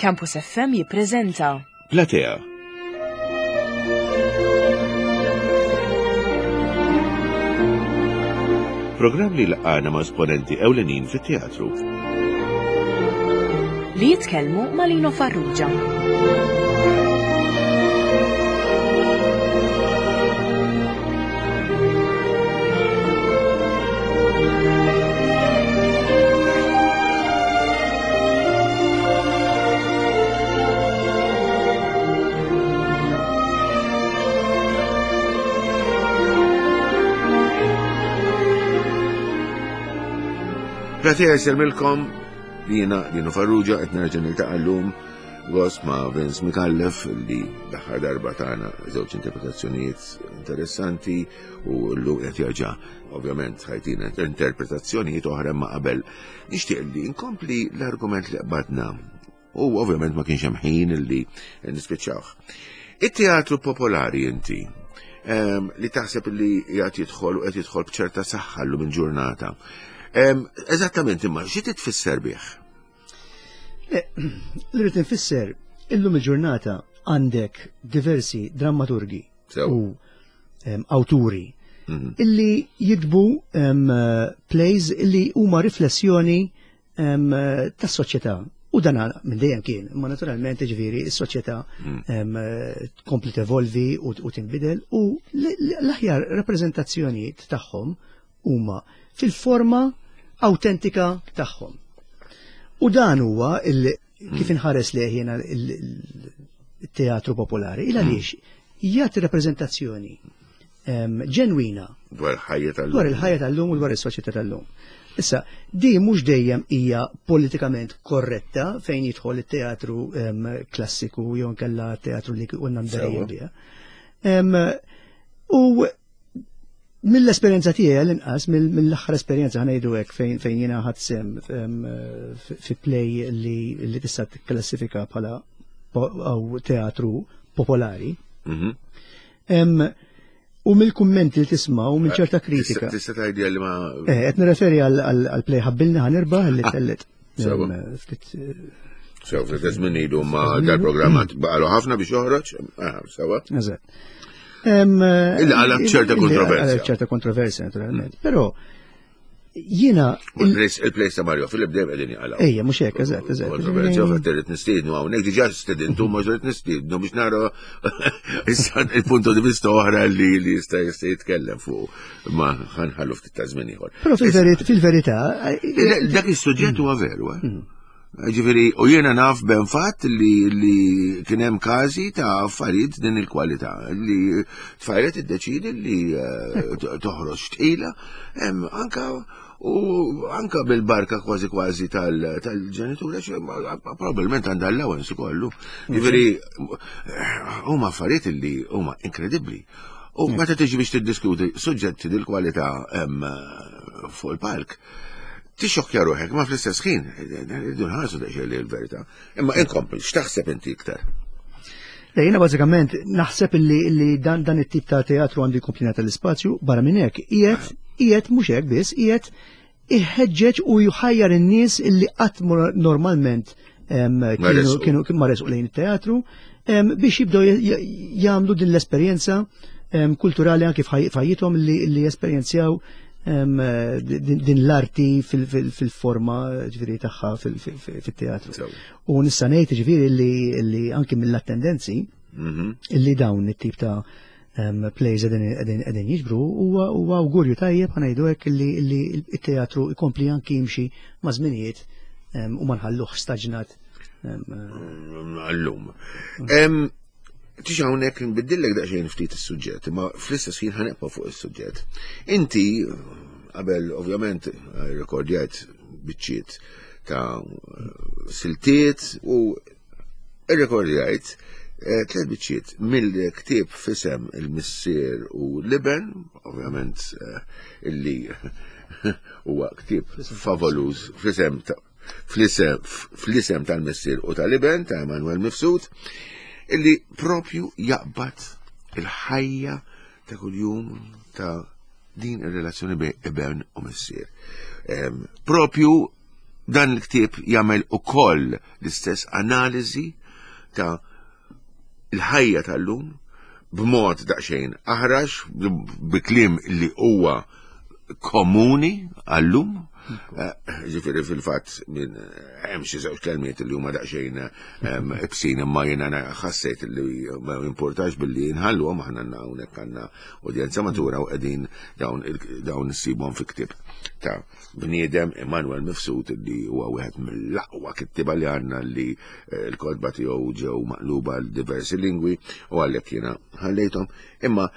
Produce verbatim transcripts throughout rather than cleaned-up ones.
Campus F M jippreżenta Platea. Programm li laqana ma' esponenti ewlenin fit-teatru. Li jitkellmu ma' Lino Farrugia. Platea jsellmilkom, jiena Lino Farrugia, qed nerġa' niltaqa' llum gost ma' Vince Micallef, li l-aħħar darba tagħna żewġ interpretazzjonijiet interessanti u llum qed jerġa' ovvjament ħa jtina interpretazzjonijiet oħra, ma qabel nixtieq li nkompli l-argument li qbadna u ovvjament ma kienx hemm ħin li nispiċċawh. It-teatru popolari inti ehm, li taħseb li jgħat jidħol u qed jidħol b'ċerta saħħa llum il-ġurnata. Ehm, eżattament imma xi titfisser bih? Li rrid nfisser, illum il-ġurnata għandek diversi drammaturgi Sew. u em, awturi Mhm. illi jiktbu em, plays illi huma riflessjoni em, tas-soċjetà. U dan minn dejjem kien, imma naturalment, ġifieri, is-soċjetà em, tkompli tevolvi u, u tinbidel u l- l- l-aħjar rappreżentazzjonijiet tagħhom huma fil-forma autentika tagħhom. U dan huwa il, kif inħares lejh jiena il-teatru popolari, il għaliex jagħti rappreżentazzjoni em, ġenwina Dwar il-ħajja tal dwar il-ħajja tal-lum u dwar is-soċjetà tal-lum. Issa, di mhux dejjem hija politikament korretta fejn jidħol it-teatru em, klassiku jew nkella teatru li konna mdorrijin Sewwa. biha. Em, U mill-esperjenza tiegħi l-inqas, mill- mill-aħħar esperjenza, ħa ngħidu hekk, fejn fejn jiena ħadt sehem em, fi fi play li li tista' tikklassifika bħala po- aw teatru popolari. Mhm. Em, U mill-kummenti li tisma' u minn ċerta kritika. Tista' tgħidli li ma Eh, qed nirreferi għal play "Ħabbilni Ħa Nirbaħ" li tellet. Sewa. em, ftit eh, Sew, ftit żmien ilu, ma dal-programm baqalu ħafna biex joħroġ. Ah, sewa. Eżatt. Em, Illi qalab ċerta illi kontroversja. qalab ċerta kontroversja, naturalment. Però jiena Il-play ta' Mario Philip dejjem qegħdin jaqalgħu. Ejja, mhux hekk, eżatt, eżatt. Kontroversja, fatt irrid nistiednu hawnhekk, diġà stedintu, ma rrid nistiednu biex nara issa il-punto di vista oħra li li jista' jista' jitkellem fuq, ma ħa nħallu ftit ta' żmien ieħor. Però fil-verità, fil-verità, Le, dak is-suġġett huwa veru, eh? Ġifieri, u jiena naf ben fatt li li kien hemm każi ta' affarijiet din il-kwalità li tfajlet iddeċidi li eh, to- toħroġ tqila, hemm anka u anka bil-barka kważi kważi tal- tal-ġenitura, għax ma- probabbilment għandha allowance ukollu. Ġifieri, huma affarijiet li huma inkredibbli. U meta tiġi biex tiddiskuti suġġetti dil-kwalità em, fuq il-palk, tixxokkja ruħek, ma fl-istess ħin, rridu nħarsu daqsxejn li l-verità. Imma inkompli, x'taħseb inti iktar? Le, jiena bażikament naħseb illi, illi dan, dan it-tip ta' teatru għandu jkompli jingħata l-ispazju. Barra minn hekk, qiegħed qiegħed mhux hekk biss, qiegħed iħeġġeġ u jħajjar in-nies illi qatt mor- normalment em, kienu resqu. kienu kienu ma resqu lejn it-teatru em, biex jibdew j- j- jagħmlu din l-esperjenza em, kulturali anke f'ħaj- f'ħajjithom li, li jesperjenzjaw em, din, din l-arti fil- fil- fil-forma ġifieri tagħha fil- fil- fil-teatru. Sew. U nista' ngħid ġifieri li, li anki mill-attendenzi Mhm. illi dawn it-tip ta' um, plays qegħdin qegħdin jiġbru huwa huwa awgurju tajjeb, ħa ngħidu hekk, illi illi it-teatru jkompli anki jimxi ma' żminijiet um, u ma nħalluh staġnat. um, Għallum. Em, Tix hawnhekk nbiddillek daqsxejn ftit is-suġġett, imma fl-istess ħin ħa nibqa' fuq is-suġġett. Inti qabel ovvjament rekordjajt biċċiet ta' siltiet u irrekordjajt eh, tliet biċċiet mill-ktieb "F'Isem il-Missier u l-Iben", ovvjament eh, illi huwa ktieb favoluż, fl-isem ta' fl-isem fl-isem tal-Missier u tal-Iben ta' Emanuel Mifsud, illi propju jaqbad il-ħajja ta' kuljum ta' din ir-relazzjoni bejn iben u missier. Em, Propju Dan il-ktieb jagħmel ukoll l-istess analiżi ta' l-ħajja tal-lum b'mod daqsxejn aħrax, bi kliem li huwa komuni għallum. Ġifieri fil-fatt minn hemm xi żewġ kelmiet li huma daqsxejn ibsin, imma jiena ħassejt li ma importax billi nħalluhom, aħna għandna hawnhekk għandna udjenza matura u qegħdin dawn dawn issibhom fi ktieb ta' bniedem Immanuel Mifsud li huwa wieħed mill-aqwa kittieba li għandna, li l-kotba tiegħu ġew maqluba għal diversi lingwi u għalhekk jiena ħallejthom. Imma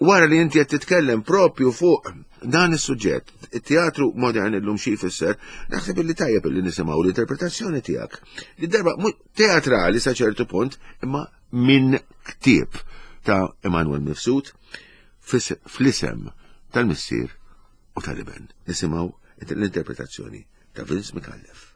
wara li inti qed titkellem propju fuq dan is-suġġett, it-teatru modern illum xi jfisser, naħseb illi tajjeb illi nisimgħu l-interpretazzjoni tiegħek. Li darba teatrali sa ċertu punt, imma minn ktieb ta' Immanuel Mifsud fl-isem tal-Missier u tal-Iben. Nisimgħu l-interpretazzjoni ta' Vince Micallef.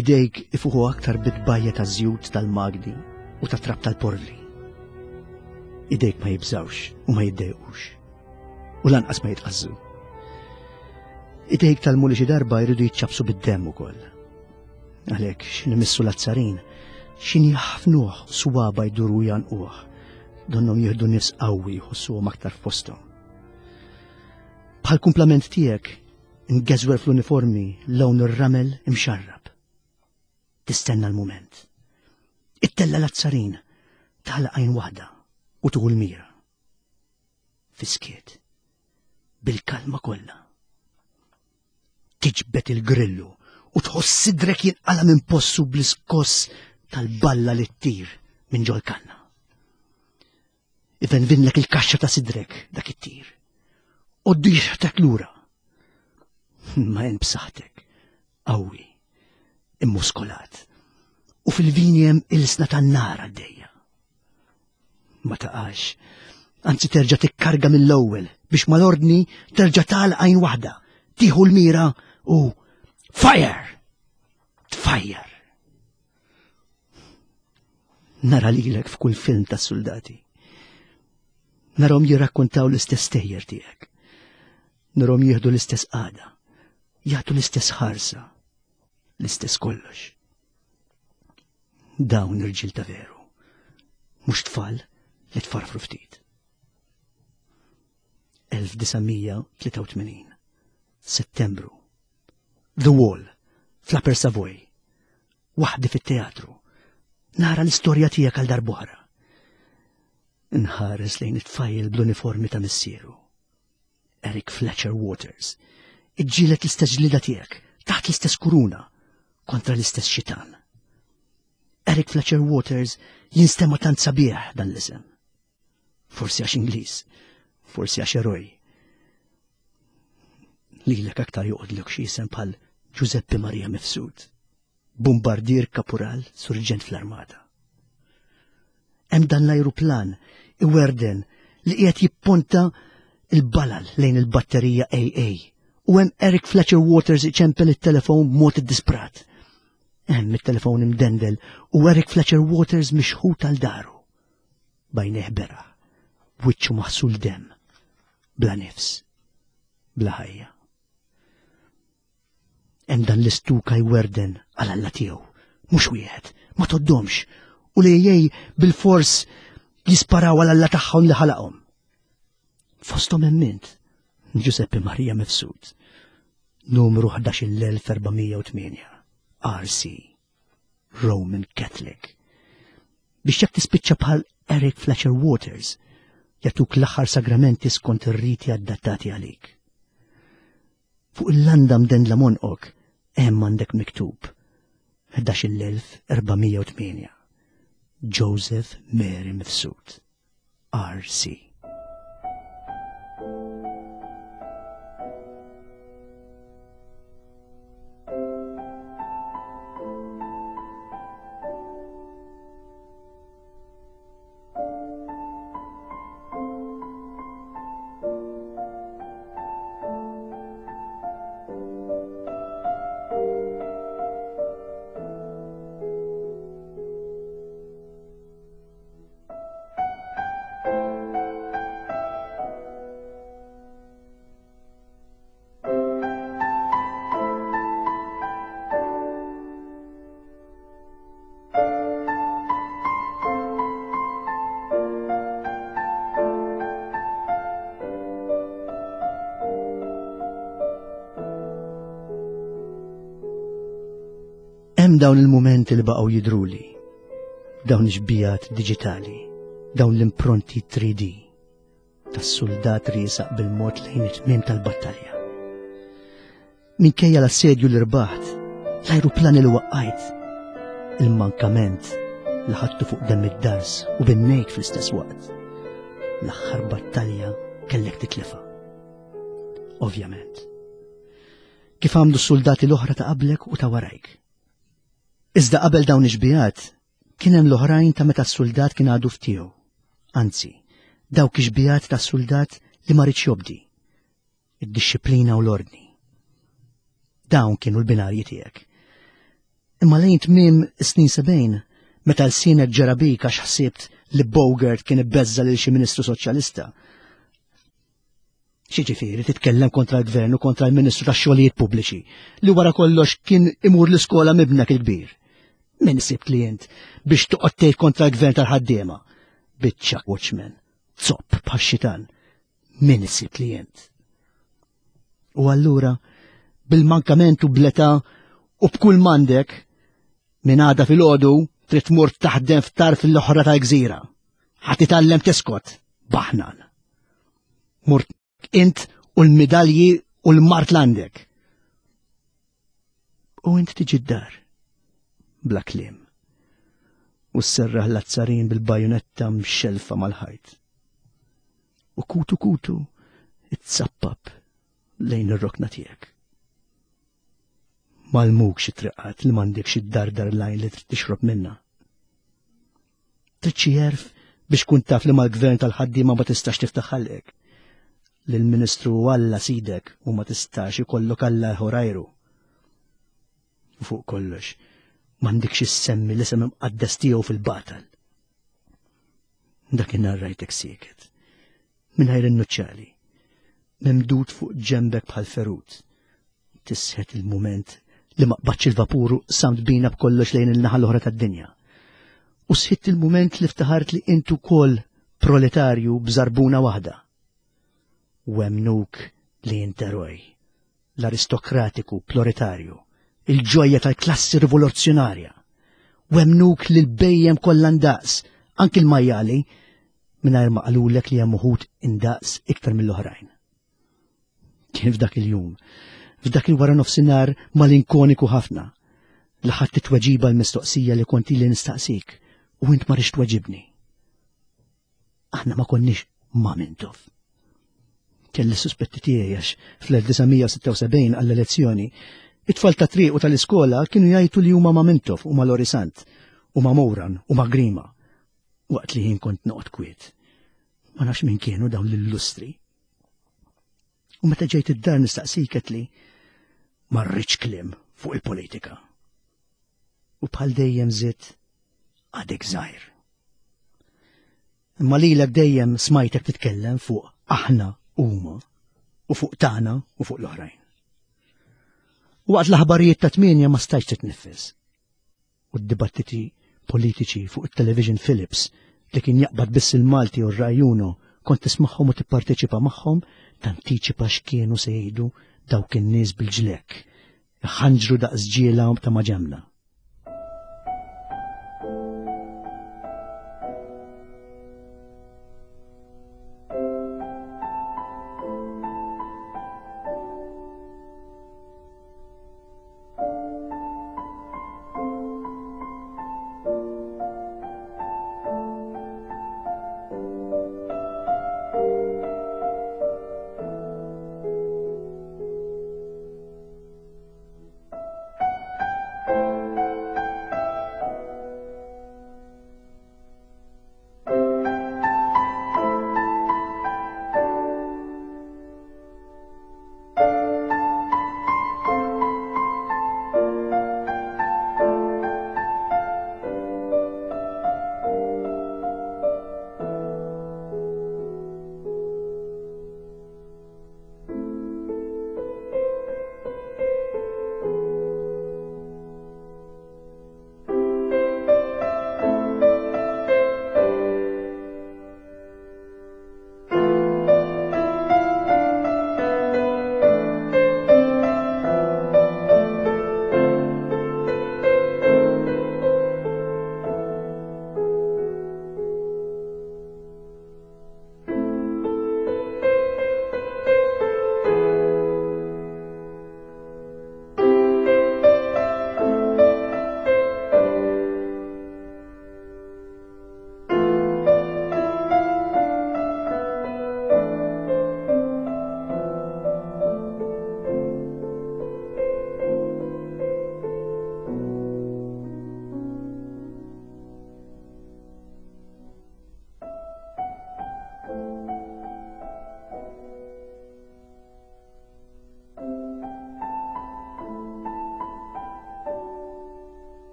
Idejk ifuħu aktar bitbajja ta' żjut tal-magni u ta' trab tal-porvli. Idejk ma jibżawx u ma jiddejqux u lanqas ma jitqazzu. Idejk tal-muli xi darba jridu jiċċabsu bid-demm ukoll. Għalhekk x'in imissu l-azzarin, x'in jaħfnuh swaba jduru janquh, donnhom jieħdu nifs qawwi jħossuhom aktar f'posthom. Bħal kumplament tiegħek ingeżwer fl-uniformi lawn ir-ramel imxarrab. Tistenna l-moment. Ittella l-azzarin, tagħlaq għajn waħda u tuħu l-mira. Fiskiet, bil-kalma kollha. Tiġbed il-grillu u tħoss sidrek jinqala minn possu bl-iskoss tal-balla li ttir minn ġol-kanna. Ivenvinlek il-kaxxa ta' sidrek dak it-tir. Oddu jixħtek lura. Ma jen b'saħħtek, qawwi, immuskolat, u fil-vini hemm ilsna tan-nar għaddejja. Ma taqax, anzi terġa' tikkarga mill-ewwel biex mal-ordni terġa' tagħlaq għajn waħda, tieħu l-mira u fire! Tfajjar! Nara lilek f'kull film tas-soldati. Narhom jirrakkontaw l-istess stejjer tiegħek. Narhom jieħdu l-istess qagħda, jagħtu l-istess ħarsa, l-istess kollox. Dawn irġiel ta' veru, mhux tfal li tfarfru ftit. elf disa' mija tlieta u tmenin, Settembru, The Wall, fl-Upper Savoy, waħdi fit-teatru, nara l-istorja tiegħek għal darb'oħra. Nħares lejn it-tfajjel bl-uniformi ta' missieru, Eric Fletcher Waters, iġġielet l-istess ġlida tiegħek, taħt l-istess kuruna, kontra l-istess xitan. Eric Fletcher Waters jinstema' tant sabiħ dan l-isem. Forsi għax Ingliż, forsi għax eroj. Lilek aktar joqgħodlok xi isem bħal Giuseppe Maria Mifsud, bombardier kapural surġent fl-armata. Hemm dan l-ajruplan iwerden li qiegħed jipponta il-balal lejn il-batterija A A u hemm Eric Fletcher Waters iċempel it-telefon b'mod iddisprat. Hemm it-telefon imdendel u Eric Fletcher Waters mixħut għal daru. Bajnejh beraħ, b'wiċċu maħsul demm, bla nifs, bla ħajja. Hemm dan l-istuka jwerden għal Alla tiegħu, mhux wieħed, ma toddomx, u li jgħej bil-fors jisparaw għal Alla tagħhom li ħalaqhom. Fosthom hemm int, Giuseppe Maria Mifsud, numru ħdax-il elf erba' mija u tmienja, R C, Roman Catholic. Biex jekk tispiċċa bħal Eric Fletcher Waters, jagħtuk l-aħħar sagramenti skont ir-riti adattati għalik. Fuq il-landa mdendla monqok hemm għandek miktub ħdax-il elf erba' mija u tmienja, Joseph Mary Mifsud, R C. Hemm dawn il-mumenti li baqgħu jidruli, dawn ix-xbihat diġitali, dawn l-impronti three D tas-soldat riesaq bil-mod lejn it-tmiem tal-battalja. Minkejja l-assedju li rbaħt, l-ajruplani li waqqajt, il-mankament li ħadtu fuq demm id-dars u binnejk fl-istess waqt. L-aħħar battalja kellek titlifa. Ovvjament. Kif għamlu s-soldati l-oħra ta' qablek u ta' warajk. Iżda qabel dawn ix-xbihat, kien hemm l-oħrajn ta' meta s-soldat kien għadu ftiegħu. Anzi, dawk ix-xbihat tas-soldat li ma riedx jobdi. Id-dixxiplina u l-ordni. Dawn kienu l-binarji tiegħek. Imma lejn tmiem is-snin sebgħin, meta l-sienek ġara bik għax ħsibt li Bogart kien ibbeżza lil xi ministru soċjalista. X'jiġifieri titkellem kontra l-gvern u kontra l-Ministru tax-Xogħlijiet Pubbliċi li wara kollox kien imur l-iskola mibnek il-kbir. Min sibt li int biex toqgħod tgħid kontra l-gvern tal-ħaddiema? Biċċa watchman, zopp bħax-xitan. Min sibt li int? U allura bil-mankament u bl-età u b'kull m'għandek, minn għada filgħodu trid tmur taħdem f'tarf l-oħra tal-gżira. Ħa titgħallem tiskot, baħnan. Murt int u l-midalji u l-mart l-għandek. U int tiġi d-dar, bla kliem, u sserraħ l-azzarin bil-bajonetta mxelfa mal-ħajt. U kutu kutu it-sappap lejn ir-rokna tiegħek. Malmuk xi triqat li m'għandekx id-dardar lajn li trid tixrob minna. Trid xi għerf biex kun taf li mal-gvern tal-ħaddiema ma tistax tiftaħ ħalqek. Li l-ministru Alla sidek u ma tistax ikollok Alla ħorajru. U fuq kollox, m'għandekx issemmi l-isem imqaddes tiegħu fil-batal. Dakinhar rajtek sieket, mingħajr in-nuċċali, memdud fuq ġembek bħal ferut. Tisħet il-mument li ma qbadx il-vapuru samt bina b'kollox lejn il-naħa l-oħra tad-dinja. U sħitt il-mument li ftaħart li intu kol proletarju b'żarbuna waħda. U emnuk li int eroj, l-aristokratiku proletarju, il-ġojja tal-klassi rivoluzzjonarja. U emnuk li l-bejjem kollha ndaqs, anki l-majjali, mingħajr ma qalulek li hemm uħud indaqs iktar mill-oħrajn. Kien f'dak il-jum, f'dak il-wara nofsinhar malinkoniku ħafna, li ħadd titweġiba l-mistoqsija li kont ili nistaqsik u int ma rridx tweġibni. Aħna ma konniex ma' Mintoff. Kelli suspetti tiegħi għax fl-elf disa' mija u sitta u sebgħin għall-elezzjoni, it-tfal ta' triq u tal-iskola kienu jgħidu li huma ma' Mintoff u ma' Lorry Sant u ma' Moran u ma' Grima, waqt li jien kont noqgħod kwiet. Ma nafx min kienu dawn l-illustri. U meta ġejt id-dar nistaqsik qed li ma rridx kliem fuq il-politika. U bħal dejjem żidt għadek żgħir. Imma lilek dejjem smajtek titkellem fuq aħna huma u fuq tagħna u fuq l-oħrajn. U waqt l-aħbarijiet ta' tmienja ma stajtx titnifes. U d-dibattiti politiċi fuq it-television Philips li kien jaqbad biss il-Malti u r-Rai Uno kont tismagħhom u tipparteċipa magħhom, tantiċipa x'kienu se jgħidu dawk in-nies bil-ġlek, ħanġru daqs ġiela ta' maġemna.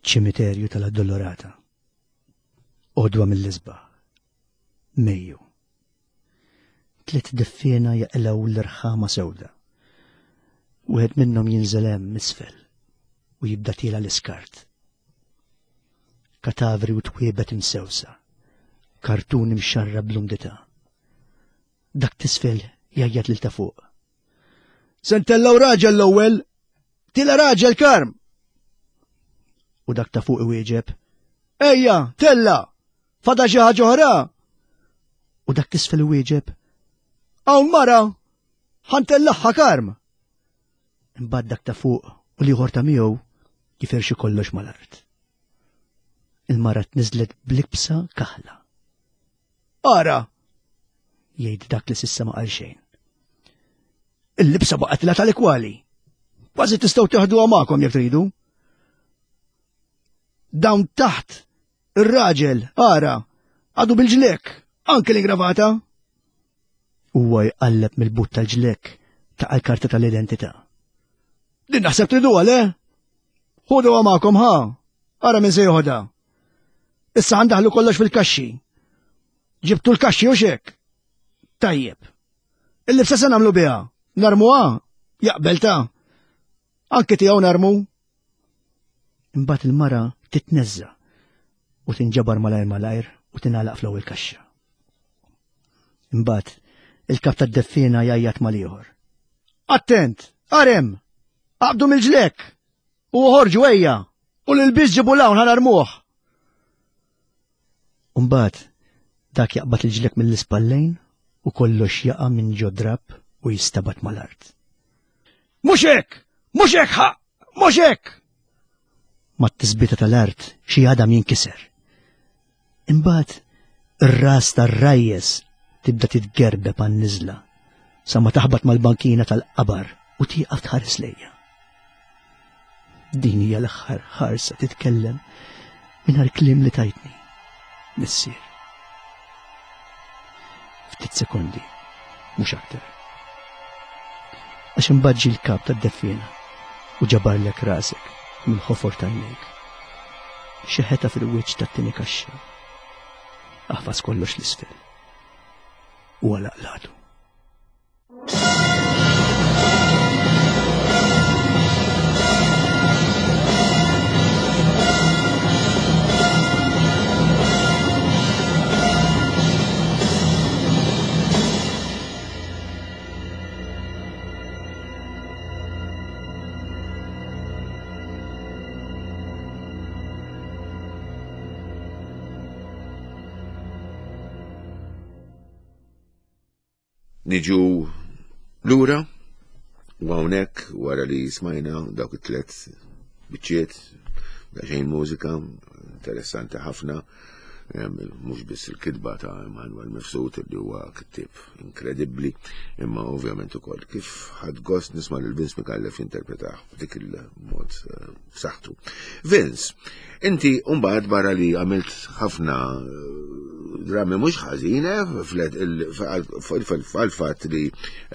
Ċimiterju tal-Addolorata. Għodwa mill-isbaħ. Mejju. Tliet deffiena jaqilgħu l-irħama sewda. Wieħed minnhom jinżel hemm isfel u jibda tiela l-iskart. Katavri u twiebet imsewsa. Kartun imxarrab bl-umdità. Dak t'isfel jgħajjat lil ta' fuq. Se ntellaw raġel l-ewwel! Tila raġel Karm! U dak ta' fuq iwieġeb. Ejja, tella! Fada xi ħaġa oħra! U dak t'isfel iwieġeb. Hawn mara! Ħa ntellaħħa Karm! Imbagħad dak ta' fuq u l-ieħor ta' miegħu jifirxu kollox mal-art. Il-mara tniżlet b'libsa kaħla. Ara! Jgħid dak li s'issa ma qal xejn. Il-libsa baqgħet la tal-ikwali. Kważi tistgħu teħduha magħkom jekk tridu. Dawn taħt, ir-raġel, ara, għadu bil-ġlek, anke l-ingravata. Huwa jqalleb mill-but tal-ġlek ta' l-karta tal-identità. Din naħseb triduha le? Ħuduha magħkom ħa, ara min se joħodha. Issa ħa ndaħħlu kollox fil-kaxxi. Ġibtu l-kaxxi u xek. Tajjeb. Il-libsa se nagħmlu biha. Narmuha? Jaqbel ta' Anke tiegħu narmu. Imbagħad il-mara titneżża u tinġabar malajr malajr u tingħalaq fl-ewwel kaxxa. Imbagħad il-kap tad-deffiena jgħajjat mal-ieħor. Attent! Arem! Aqbdu mill-ġlek! U ħorġu ejja! U l-ilbies ġibu 'l hawn ħa narmuh! Umbagħad dak jaqbad il-ġlek mill-ispallejn u kollox jaqa' minn ġo drab u jistabat mal-art. Mhux hekk! Mhux hekk ħa! Mhux hekk! Mat-tisbita tal-art xi għadam jinkiser. Imbagħad ir-ras tar-rajjes tibda titgerbeb għan-niżla sa ma taħbat mal-bankina tal-qabar u tieqaf tħares lejja. Din hija l-aħħar ħarsa titkellem mingħajr kliem li tajtni, missier. Ftit sekondi, mhux aktar. Għax imbagħad ġie l-kap tad-deffiena u ġabarlek rasek mill-ħofor t'għajnejk. Xeħetha fil-wiċċ tat-tieni kaxxa. Aħfas kollox 'l isfel. U għalaq l-għatu. Niġu lura u hawnhekk wara li smajna dawk it-tlet biċċiet xejn mużika interessanti ħafna, mhux biss il-kitba ta' Immanuel Mifsud li huwa kittib inkredibbli, imma ovvjament ukoll kif ħadt gost nisma' lil Vince Micallef jinterpretah b'dik il-mod b'saħħtu. Vince, inti mbagħad barra li għamilt ħafna drammi mhux ħażina fil-fatt li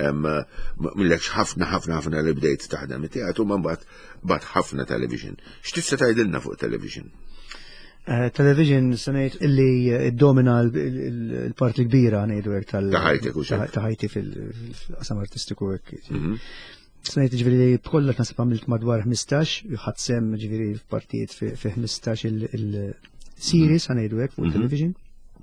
millekx ħafna ħafna ħafna li bdejt taħdem it-teatru, ma mbagħad bat ħafna television. X'tista' tgħidilna fuq television? Eh, television sanajt illi domina l-parti kbira ngħidu hekk tal ta' ħajti fil-qasam artistiku hekk. Mhm. Sanajt ġifieri b'kollox naħseb għamilt madwar ħmistax, ħadt sehem ġifieri f'partijiet fi ħmistax il-series mhm. ngħidu hekk fuq mhm. television.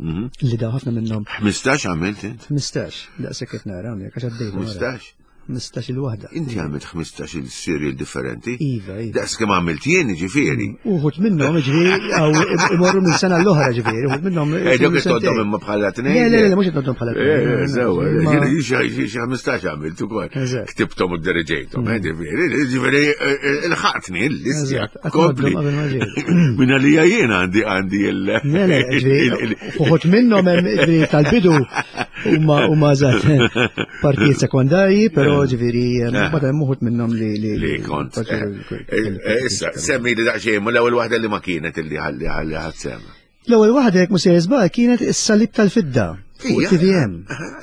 Li daw ħafna minnhom. ħmistax għamilt int? ħmistax, daqshekk qed nara hawnhekk għax għaddejt. ħmistax? ħmistax il-waħda. Inti għamilt ħmistax il-serial differenti? Iva, iva. Daqs kemm għamilt jien, ġifieri. Uħud minnhom, ġifieri, għaw imorru minn sena l-oħra, ġifieri, uħud minnhom. Eh, dawk qed imma bħala tnejn. Le, le, le, mhux qed bħala tnejn. Eh, sewa, xi ħmistax għamilt ukoll. Ktibthom u diriġejthom, eh, ġifieri, ġifieri, il-ħatni l-listja. Kompli. Minna li jien għandi għandi il. Le, le, ġifieri, uħud minnhom tal-bidu huma huma partijiet sekondarji, però ġifieri, mbagħad hemm uħud minnhom li li kont. Issa, semmi li daqsxejn, l-ewwel waħda li ma kienet illi ħalli ħalli ħadd sem. L-ewwel waħda jekk mhux żball kienet is-Salib tal-Fidda fuq T V M.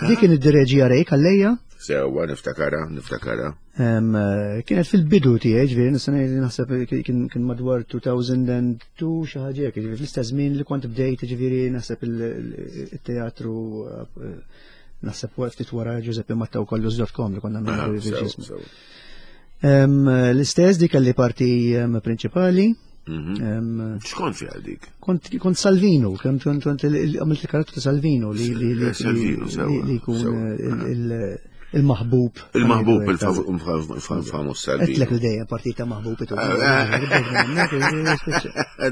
Dik kien id-direġija Ray Calleja. Sewwa, niftakara, niftakara. Kienet fil-bidu tiegħi, ġifieri nista' ngħid naħseb kien madwar two thousand and two xi ħaġa hekk, ġifieri fl-istess żmien li kont bdejt, ġifieri naħseb il-teatru, naħseb ftit wara Giuseppe Matta u Kollus dot com li konna nagħmlu. L-istess dik kelli parti prinċipali. Mhm. X'kont fiha dik? Kont kont Salvino, kont kont kont għamilt il-karattru ta' Salvino li li li li jkun il-maħbub. Il-maħbub, il-famuż Salvino. Għedtlek li dejjem partita maħbub.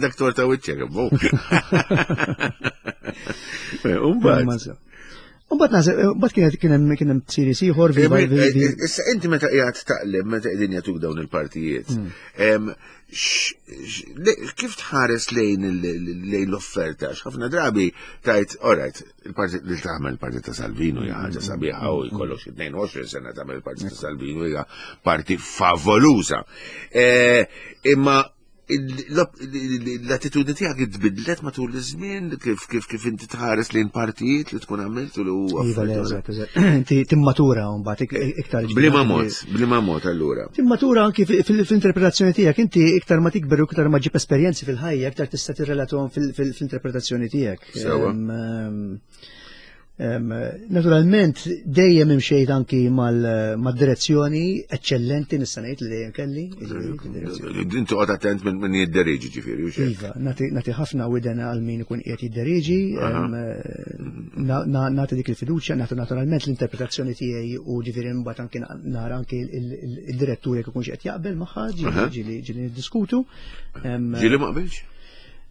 Dak torta wiċċek, bu. Umbagħad. Umbagħad naħseb, umbagħad kienet kien hemm kien hemm series ieħor. Issa inti meta qiegħed taqleb, meta qegħdin jagħtuk dawn il-partijiet, hmm. kif tħares lejn lejn l-offerta? Ħafna drabi tajt, alright, il-parti li tagħmel parti ta' Salvino hija ħaġa sabiħa u jkollok xi tnejn u għoxrin sena tagħmel parti ta' Salvino, hija parti favoluża. Eh, imma l-attitudni tiegħek tbidlet matul iż-żmien kif kif kif inti tħares lejn partijiet li tkun għamilt u li huwa Iva, eżatt, eżatt. Inti timmatura mbagħad iktar. Bliema mod, bliema mod allura. Timmatura anki fil-interpretazzjoni tiegħek, inti iktar ma tikber u iktar ma ġib esperjenzi fil-ħajja, iktar tista' tirrelatom fil-interpretazzjoni tiegħek. Sewa. Naturalment, dejjem imxejt anki mal-direzzjoni eccellenti, nista' ngħid, li dejjem kelli. Inti qgħod attent minn jidderiġi, ġifieri. Iva, nagħti ħafna widena għal min ikun qiegħed jidderiġi, nagħti dik il-fiduċja, nagħti naturalment l-interpretazzjoni tiegħi u ġifieri mbagħad anki nara anki il-direttur jekk ikunx qed jaqbel magħha, ġieli ġieli niddiskutu. Ġieli ma qbilx?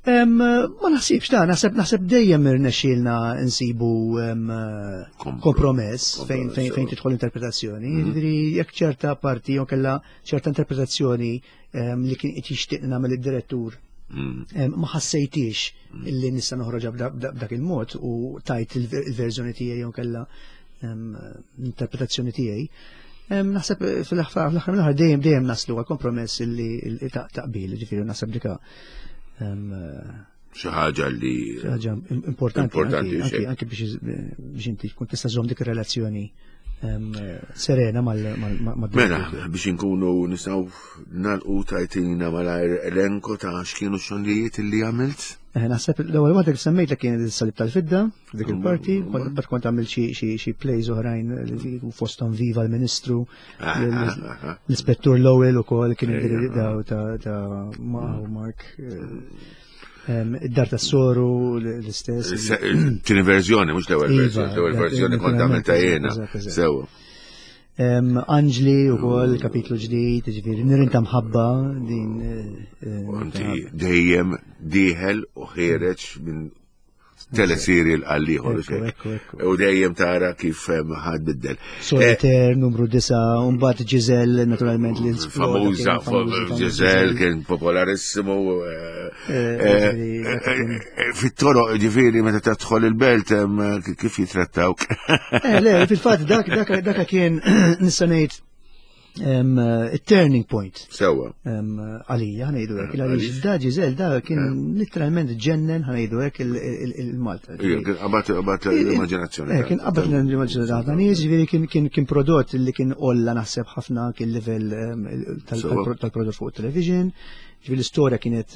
Ma naħsibx ta' naħseb naħseb dejjem irnexxielna nsibu kompromess fejn fejn fejn tidħol interpretazzjoni. Mhm. Jiġifieri jekk ċerta parti jew kellha ċerta interpretazzjoni li kien qed jixtieq nagħmel id-direttur mhm. ma ħassejtix mhm. li nista' noħroġha b'dak il-mod u tajt il-verżjoni tiegħi jew kellha interpretazzjoni tiegħi. Naħseb fl-aħħar mill-aħħar dejjem dejjem naslu għal kompromess li taqbil, ġifieri naħseb dika xi ħaġa li xi ħaġa importanti anki anki biex biex inti tkun tista' żomm dik ir-relazzjoni serena mal Mela, biex inkunu nistgħu nagħlqu, tajtina malajr elenko ta' x'kienu xogħlijiet li għamilt? Eh, naħseb l-ewwel waħda li semmejt li kienet is-Salib tal-Fidda, dik il-parti, bad kont għamil xi plays oħrajn fosthom Viva l-Ministru, ah, ah, ah, l-Ispettur Lowell ukoll kien daw ta' Mark. Eh, id-Dar tas Soru l-istess. Tieni verżjoni, mhux l-ewwel iva, verżjoni, l-ewwel verżjoni kont għamilta jiena. Sewa. Anġli u kol, kapitlu ġdid, ġifieri, Nirien ta' Mħabba, din. Eh, Inti dejjem dieħel u ħiereġ minn teleserial għall-ieħor. U dejjem tara kif ħad biddel. Solitaire, numru disa, umbagħad Giselle, naturalment li Famuża, Giselle kien popolarissimo. Eh, fit-toroq, ġifieri, meta tadħol il-belt, kif jitrattawk? Le, fil-fatt dak dak kien, nista' ngħid, il-turning point. Sewa. Għalija, ħa ngħidu hekk, għaliex da Giselle da kien literalment ġennen, ħa ngħidu hekk, il-Malta. Kien qabad l-immaġinazzjoni. Kien qabad l-immaġinazzjoni ta' nies, ġifieri kien kien prodott li kien olla naħseb ħafna kien level tal-prodott fuq television. Ġifieri l-istorja kienet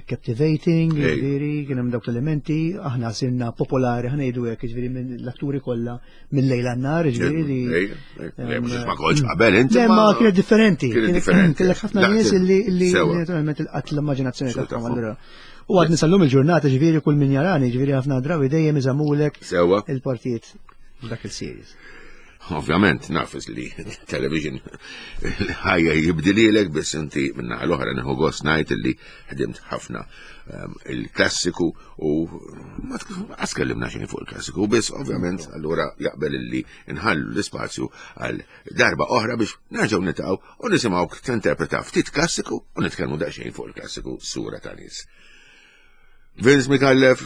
captivating, ġifieri kien hemm dawk l-elementi, aħna sirna popolari, ħa ngħidu hekk, ġifieri minn l-atturi kollha mill-lejl għan-nhar, ġifieri li. Ma kontx qabel inti. Le, ma kienet differenti. Kienet differenti. Kellek ħafna nies li naturalment il-qatt l-immaġinazzjoni tagħhom allura. U għadni sal-lum il-ġurnata, ġifieri kull min jarani, ġifieri ħafna drabi dejjem iżamulek il-partijiet dak il-series. Ovvjament, nafis li television ħajja jibdililek, biss inti minna l-oħra nieħu gost ngħid li ħdimt ħafna um, il-klassiku u ma tkellimna xejn fuq il-klassiku, biss ovvjament allura jaqbel li nħallu l-ispazju għal darba oħra biex nerġgħu nitgħu u nisimgħu tinterpreta ftit klassiku u nitkellmu daqsxejn fuq il-klassiku Sura ta' Nies. Vince Micallef,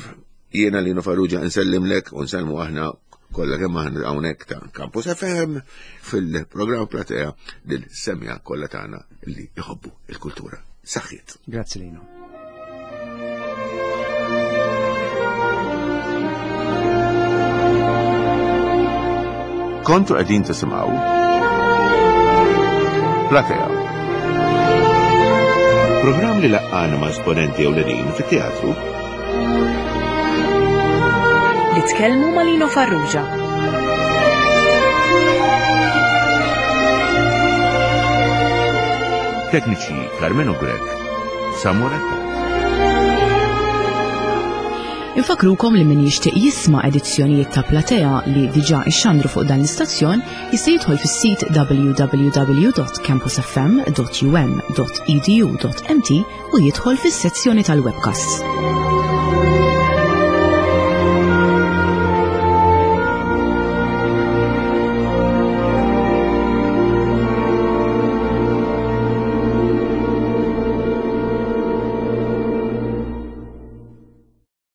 jiena Lino Farrugia nsellimlek u nsellmu aħna kollha kemm aħna hawnhekk ta' Campus F M fil-programm Platea lil semmiegħa kollha tagħna li jħobbu il-kultura. Saħħiet. Grazzi, Lino. Kontu qegħdin tisimgħu Platea. Programm li laqqana ma' esponenti ewlenin fit-teatru. Li tkellmu ma' Lino Farrugia. Tekniċi Carmelo Grech, Samuel Attard. Infakrukom li min jixtieq jisma' edizzjonijiet ta' Platea li diġà ixxandru fuq dan l-istazzjon jista' jidħol fis-sit w w w dot campus f m dot u m dot e d u dot m t u jidħol fis-sezzjoni tal-webcasts.